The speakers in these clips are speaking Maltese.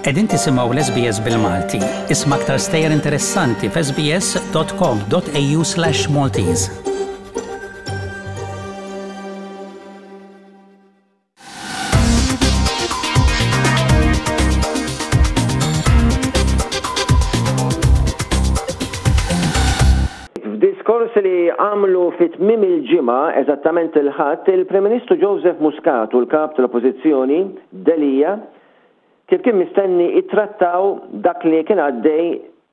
Qegħdin tisimgħu l-SBS bil-Malti. Isma' aktar stejjer interessanti f'sbs.com.au/maltese. F'diskors li għamlu fi tmiem il-ġimgħa, eżattament il-Ħadd, il-Prim Ministru Joseph Muscat u l-Kap tal-Oppożizzjoni, Delia, kif kien mistenni ittrattaw dak li kien għaddej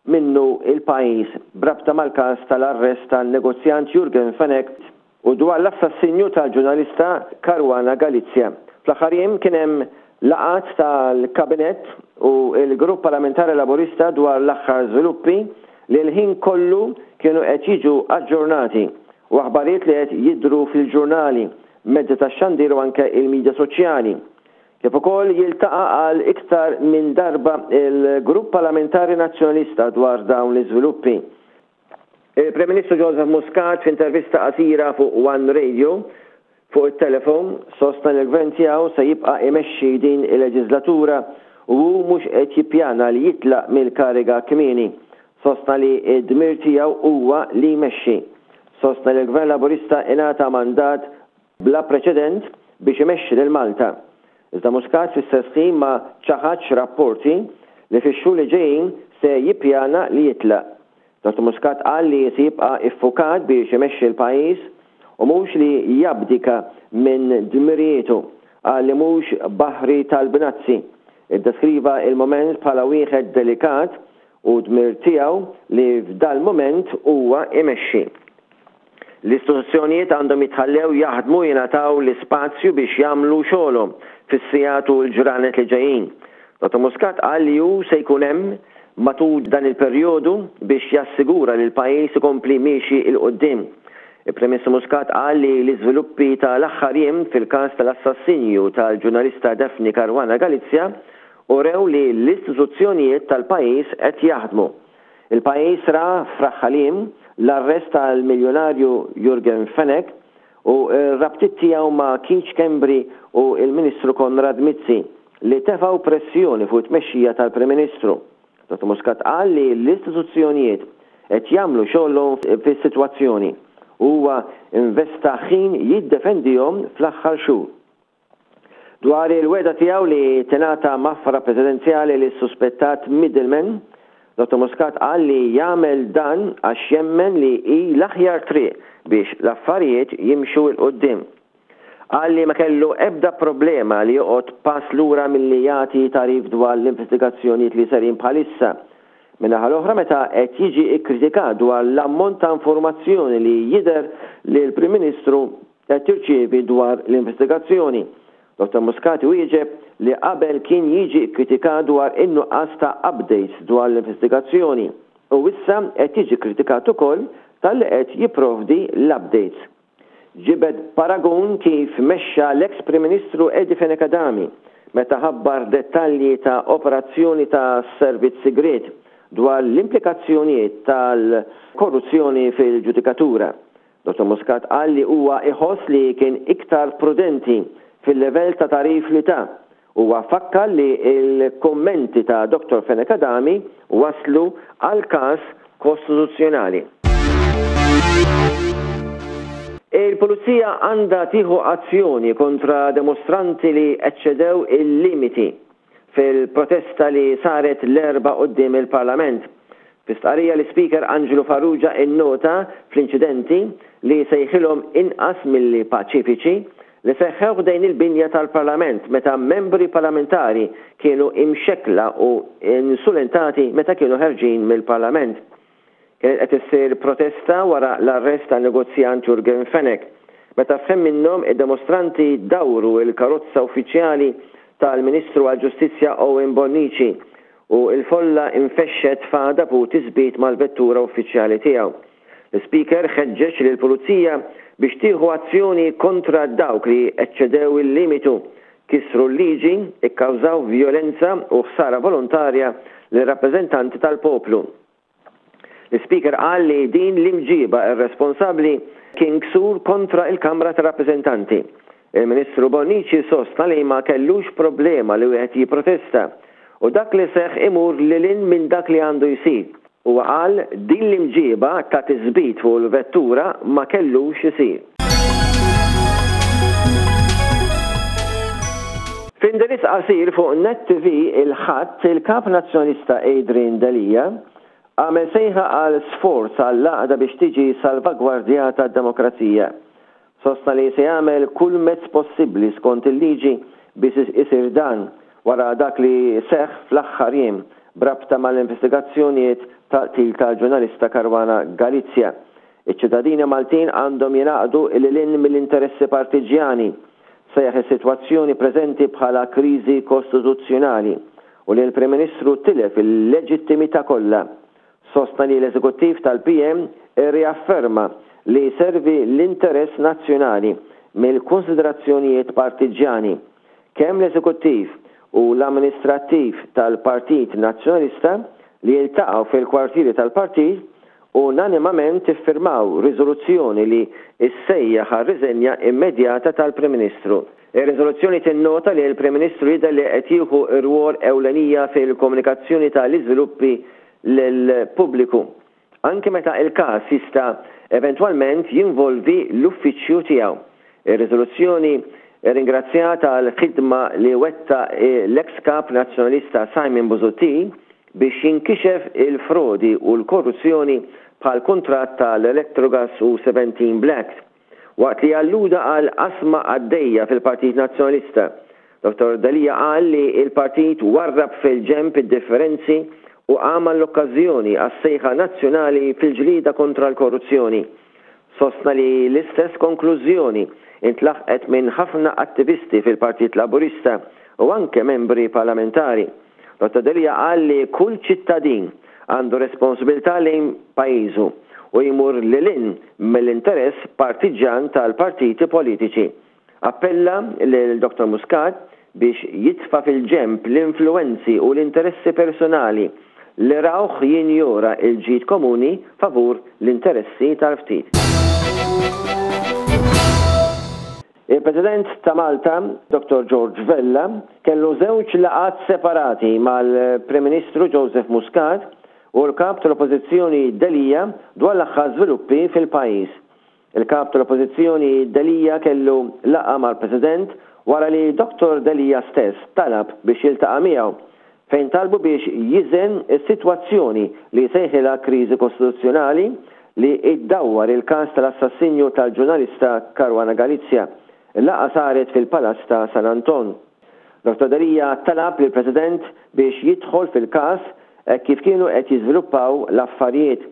minnu l-pajjiż b'rabta mal-każ tal-arrest tan-negozjant Yorgen Fenech u dwar l-assassinju tal-ġurnalista Caruana Galizia. Fl-aħħar jiem kien hemm laqgħat tal-Kabinett u l-Grupp Parlamentari Laburista dwar l-aħħar żviluppi li l-ħin kollu kienu qed jiġu aġġornati u aħbarijiet li qed jidhru fil-ġurnali, mezzi tax-xandir u anke il-midja soċjali. Kif ukoll jiltaqa' għal iktar minn darba l-Grupp Parlamentari Nazzjonalista dwar dawn l-iżviluppi. Il-Prim Ministru Joseph Muscat f'intervista qasira fuq One Radio fuq it-telefon sostna li l-Gvern tiegħu se jibqa' imexxi din il-leġiżlatura u hu mhux qed jippjana li jitlaq mill-kariga kmieni. Sostna li d-dmir tiegħu huwa li jmexxi. Sostna li l-Gvern Laburista ingħata mandat bla preċedent biex imexxi lil Malta. Iżda Muscat fl-istess ħin ma ċaħadx rapporti li fix-xhur li ġejjin se jippjana li jitlaq. Dottor Muscat qal li se jibqa' iffukat biex imexxi l-pajjiż u mhux li jabdika minn dmirijietu. Qal li mhux baħri tal-bnazzi. Iddeskriva il-mument bħala wieħed delikat u dmir tiegħu li f'dal-mument huwa imexxi. L-istituzzjonijiet għandhom jitħallew jaħdmu u jingħataw l-ispazju biex jagħmlu xogħolhom fis-sigħat u l-ġranet li ġejjin. Dottor Muscat qal li hu se jkun hemm matul dan il-perjodu biex jassigura li l-pajjiż ikompli miexi 'l quddiem. Il-Prim Ministru Muscat qal li l-iżviluppi ta' l-aħħar jiem fil-każ tal-assassinju tal-ġurnalista Daphne Caruana Galizia urew li l-istituzzjonijiet tal-pajjiż qed jaħdmu. Il-pajjiż ra f'Raħal Jiem l-arrest tal-miljunarju Yorgen Fenech u r-rabtiet tiegħu ma' Keith Schembri u l-Ministru Konrad Mizzi li tefgħu pressjoni fuq it-tmexxija tal-Prim Ministru. Dottor Muscat qal li l-istituzzjonijiet qed jagħmlu xogħolhom fis-sitwazzjoni u huwa investa ħin jiddefendihom fl-aħħar xhur. Dwar il-wegħda tiegħu li tingħata maħfra presidenzjali lis-suspettat middleman, Dottor Muscat qal li jagħmel dan għax jemmen li hi l-aħjar triq biex l-affarijiet jimxu 'l quddiem. Qal li ma kellu ebda problema li joqgħod pass lura milli jagħti tagħrif dwar l-investigazzjonijiet li serin bħalissa. Min-naħa l-oħra meta qed jiġi kkritikat dwar l-ammont ta' informazzjoni li jidher li l-Prim Ministru qed tirċievi dwar l-investigazzjoni. Dottor Muscat iwieġeb li qabel kien jiġi kkritikat dwar in-nuqqas ta' updates dwar l-investigazzjoni u issa qed jiġi kkritikat ukoll talli qed jipprovdi l-updates. Ġibed paragun kif mexxa l-eks Prim Ministru Eddie Fenech Adami meta ħabbar dettalji ta' operazzjoni ta' servizz sigriet dwar l-implikazzjonijiet tal-korruzzjoni fil-ġudikatura. Dottor Muscat qal li huwa iħoss li kien iktar prudenti fil-livell ta' tagħrif li ta. Huwa fakkar li l-kummenti ta' Dottor Fenech Adami wasslu għal każ kostituzzjonali. Il-Pulizija għandha tieħu azzjoni kontra dimostranti li eċċedew il-limiti fil-protesta li saret l-Erbgħa quddiem il-Parlament. Fi stqarrija l-Ispeaker Anġlu Farrugia innota fl-inċidenti li sejħilhom inqas milli paċifiċi li seħħew ħdejn il-binja tal-Parlament meta membri parlamentari kienu imxekkla u insulentati meta kienu ħerġin mill-Parlament. Kienet qed issir protesta wara l-arrest tan-negozjant Yorgen Fenech, meta f'ħin minnhom id-demostranti dawru l-karozza uffiċjali tal-Ministru għall-Ġustizzja Owen Bonnici u l-folla infexxet f'għadab u tisbit mal-vettura uffiċjali tiegħu. L-Ispeaker ħeġġeġ lill-Pulizija biex tieħu azzjoni kontra dawk li eċċedew il-limitu, kisru l-liġi, ikkawżaw vjolenza u ħsara volontarja lir-rappreżentanti tal-poplu. L-Ispeaker qal li din l-imġieba irresponsabbli kien ksur kontra l-Kamra tar-Rappreżentanti. Il-Ministru Bonnici sostna li ma kellux problema li wieħed jipprotesta. U dak li seħħ imur lil hinn minn dak li għandu jsir. Huwa qal din l-imġieba ta' tisbit fuq il-vettura ma kellux isir. F'indirizz qasir fuq Net TV il-Ħadd, il-Kap Nazzjonalista Adrian Delia għamel sejħa għal sforz għall-għaqda biex tiġi salvagwardjata d-demokrazija. Sostna li se jagħmel kull mezz possibbli skont il-liġi biex isir dan wara dak li seħħ fl-aħħar jiem b'rabta mal-investigazzjonijiet tal-qtil tal-ġurnalista Caruana Galizia. Iċ-ċittadini Maltin għandhom jingħaqdu lil hinn mill-interessi partiġġjani. Sejjaħ is-sitwazzjoni preżenti bħala kriżi kostituzzjonali u li l-Prim Ministru tilef il-leġittimità kollha. Sostna li l-Eżekuttiv tal-PN irriafferma li jservi l-interess nazzjonali mill-kunsiderazzjonijiet partiġġjani. Kemm l-Eżekuttiv u l-Amministrattiv tal-Partit Nazzjonalista li jiltaqgħu fil-kwartieri tal-partit unanimament iffirmaw riżoluzzjoni li ssejjaħ għar-riżenja immedjata tal-Prim Ministru. Ir-riżoluzzjoni tinnota li l-Prim Ministru jidher li qed jieħu rwol ewlenija fil-komunikazzjoni ta' l-iżviluppi lill-pubbliku, anki meta l-każ jista' eventwalment jinvolvi l-uffiċċju tiegħu. Ir-riżoluzzjoni rringrazzjat għall-ħidma li wettaq l-eks Kap Nazzjonalista Simon Busuttil biex jinkixef il-frodi u l-korruzzjoni bħall-kuntratt tal-Electrogas u 17 Black. Waqt li alluda għal qasma għaddejja fil-Partit Nazzjonalista, Dottor Delia qal li l-partit warrab fil-ġenb id-differenzi u qam għall-okkażjoni għas-sejħa nazzjonali fil-ġlieda kontra l-korruzzjoni. Sostna li l-istess konklużjoni intlaħqet minn ħafna attivisti fil-Partit Laburista u anke membri parlamentari. Dottor Delia qal li kull ċittadin għandu responsbiltà lejn pajjiżu u jmur lil hinn mill-interess partiġġan tal-partiti politiċi. Appella lil Dottor Muscat biex jitfa' fil-ġenb l-influwenzi u l-interessi personali li rawh jinjora l-ġid komuni favur l-interessi tal-ftit. Il-President ta' Malta, Dottor George Vella, kellu żewġ laqgħat separati mal-Prim Ministru Joseph Muscat u l-Kap tal-Oppożizzjoni Delia dwar l-aħħar żviluppi fil-pajjiż. Il-Kap tal-Oppożizzjoni Delia kellu laqgħa mal-President wara li Dottor Delia stess talab biex jiltaqa' miegħu fejn talbu biex jiżen is-sitwazzjoni li sejħilha kriżi kostituzzjonali li ddawwar il-każ tal-assassinju tal-ġurnalista Caruana Galizia. Il-laqgħa saret fil-Palazz ta' San Anton. Dottor Delia talab lill-President biex jidħol fil-każ hekk kif kienu qed jiżviluppaw l-affarijiet.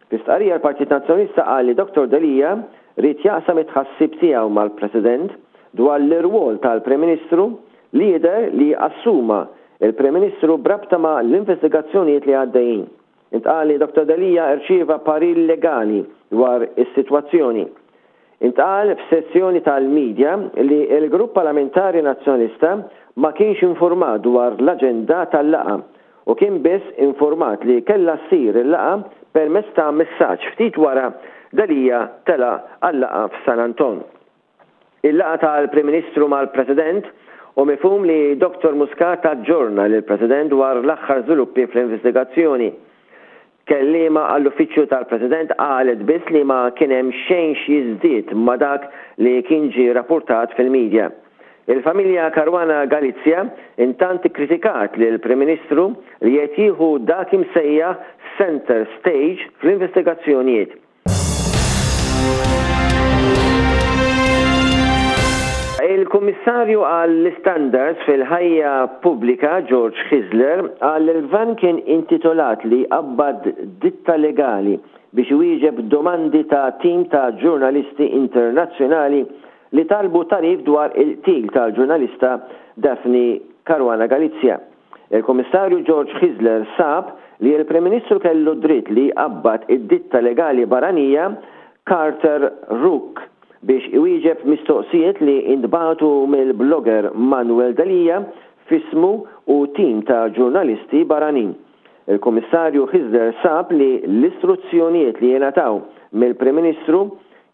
Fi stqarrija l-Partit Nazzjonalista qal li Dottor Delia ried jaqsam it-tħassib tiegħu mal-President dwar l-irwol tal-Prim Ministru li jidher li assuma l-Prim Ministru b'rabta ma' l-investigazzjonijiet li għaddejjin. Intqal li Dottor Delia rċieva parir legali dwar is-sitwazzjoni. Intqal f'sessjoni tal-media li l-Grupp Parlamentari Nazzjonalista ma kienx infurmat dwar l-aġenda tal-laqgħa u kien biss infurmat li kellha ssir il-laqgħa permezz ta' messaġġ ftit wara Delia telaq għal-laqgħa f'San Anton. Il-laqgħa tal-Prim Ministru mal-President hu mifhum li Dottor Muscat aġġorna lill-President dwar l-aħħar żviluppi fl-investigazzjoni. Kelliema għall-Uffiċċju tal-President qalet biss li ma kien hemm xejn x'jiżdied ma' dak li kien ġie rappurtat fil-media. Il-familja Caruana Galizia intant ikkritikat lill-Prim Ministru li qed jieħu dak imsejjaħ centre stage fl-investigazzjonijiet. Il-Kummissarju għall-Istandards fil-Ħajja Pubblika George Hyzler qal li l-Gvern kien intitolat li jqabbad ditta legali biex iwieġeb domandi ta' tim ta' ġurnalisti internazzjonali li talbu tagħrif dwar il-qtil tal-ġurnalista Daphne Caruana Galizia. Il-Kummissarju George Hyzler sab li l-Prim Ministru kellu d-dritt li jqabbad id-ditta legali barranija Carter Rook biex iwieġeb mistoqsijiet li ntbagħtu mill-blogger Manuel Delia f'ismu u tim ta' ġurnalisti barranin. Il-Kummissarju Hyzler sab li l-istruzzjonijiet li ingħataw mill-Prim Ministru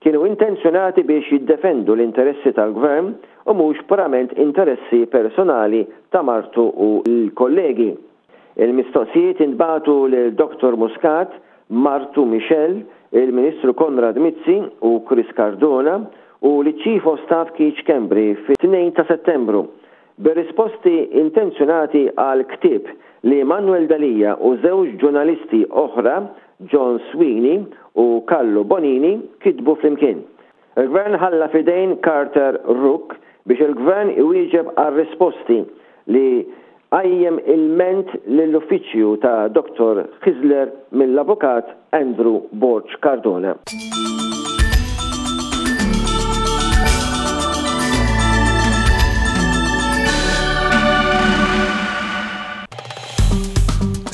kienu intenzjonati biex jiddefendu l-interessi tal-Gvern u mhux purament interessi personali ta' martu u l-kollegi. Il-mistoqsijiet intbagħtu lil Dottor Muscat, martu Michelle, il-Ministru Konrad Mizzi u Chris Cardona u liċ-Chief of Staff Keith Schembri fit-2 ta' Settembru, bir-risposti intenzjonati għal ktieb li Manuel Delia u żewġ ġurnalisti oħra, John Sweeney u Carlo Bonini, kitbu flimkien. Il-Gvern ħalla f'idejn Carter Rook biex il-Gvern iwieġeb għar-risposti li qajjem ilment lill-uffiċċju ta' Dottor Hyzler mill-Avukat Andrew Borg Cardona.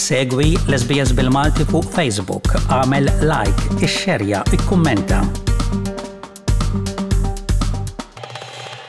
Segwi l-SBS bil-Malti fuq Facebook, għamel like, ixxerja, ikkummenta.